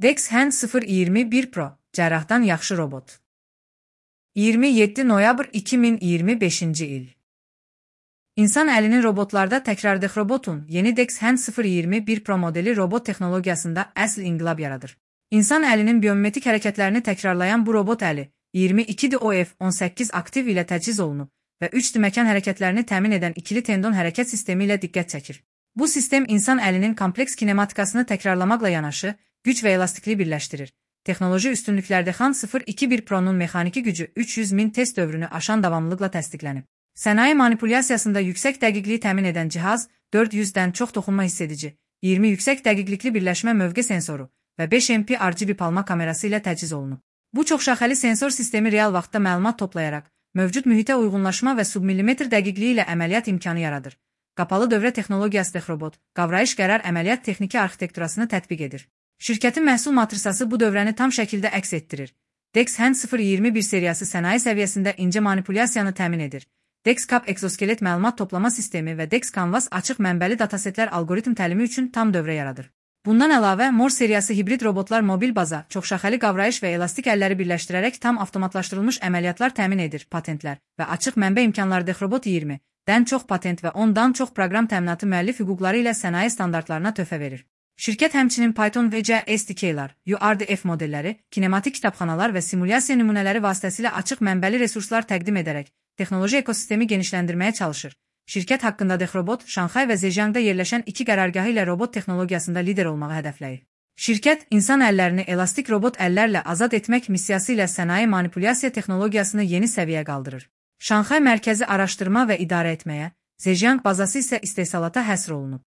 DexHand 021 Pro cərrahdan yaxşı robot. 27 noyabr 2025-ci il. İnsan əlinin robotlarda təkrardıq robotun yeni DexHand 021 Pro modeli robot texnologiyasında əsl inqilab yaradır. İnsan əlinin biomimetrik hərəkətlərini təkrarlayan bu robot əli 22DOF18 aktiv ilə təchiz olunub və 3D məkan hərəkətlərini təmin edən ikili tendon hərəkət sistemi ilə diqqət çəkir. Bu sistem insan əlinin kompleks kinematikasını təkrarlamaqla yanaşı, güc və elastikliyi birləşdirir. Texnoloji üstünlüklərdə DexHand 021 Pro'nun mexaniki gücü 300.000 test dövrünü aşan davamlılıqla təsdiqlənib. Sənaye manipulyasiyasında yüksək dəqiqliyi təmin edən cihaz 400-dən çox toxunma hiss edici, 20 yüksək dəqiqlikli birləşmə mövqe sensoru və 5 MP RGB palma kamerası ilə təchiz olunub. Bu çoxşaxəli sensor sistemi real vaxtda məlumat toplayaraq, mövcud mühitə uyğunlaşma və submillimetr dəqiqliyi ilə əməliyyat imkanı yaradır. Qapalı dövrə texnologiyası DexRobot, qavrayış qərar əməliyyat texniki arxitekturasını tətbiq edir. Şirkətin məhsul matrisası bu dövrəni tam şəkildə əks etdirir. DexHand 021 seriyası sənaye səviyyəsində incə manipulyasiyanı təmin edir. DexCap exoskelet məlumat toplama sistemi və DexCanvas açıq mənbəli datasetlər algoritm təlimi üçün tam dövrə yaradır. Bundan əlavə, Morse seriyası hibrid robotlar mobil baza, çoxşaxəli qavrayış və elastik əlləri birləşdirərək tam avtomatlaşdırılmış əməliyyatlar təmin edir. Patentlər və açıq mənbə imkanları DexRobot 20-dən çox patent və 10-dan çox proqram təminatı müəllif hüquqları ilə sənaye standartlarına töhfə verir. Şirkət həmçinin Python və C SDK-lar, URDF modelləri, kinematik kitabxanalar və simulyasiya nümunələri vasitəsilə açıq mənbəli resurslar təqdim edərək texnoloji ekosistemi genişləndirməyə çalışır. Şirkət haqqında DexRobot, Şanxay və Zhejiangda yerləşən 2 qərargahı ilə robot texnologiyasında lider olmağı hədəfləyir. Şirkət, insan əllərini elastik robot əllərlə azad etmək missiyası ilə sənaye manipulyasiya texnologiyasını yeni səviyyəyə qaldırır. Şanxay mərkəzi araşdırma və idarə etməyə, Zhejiang bazası isə istehsalata həsr olunub.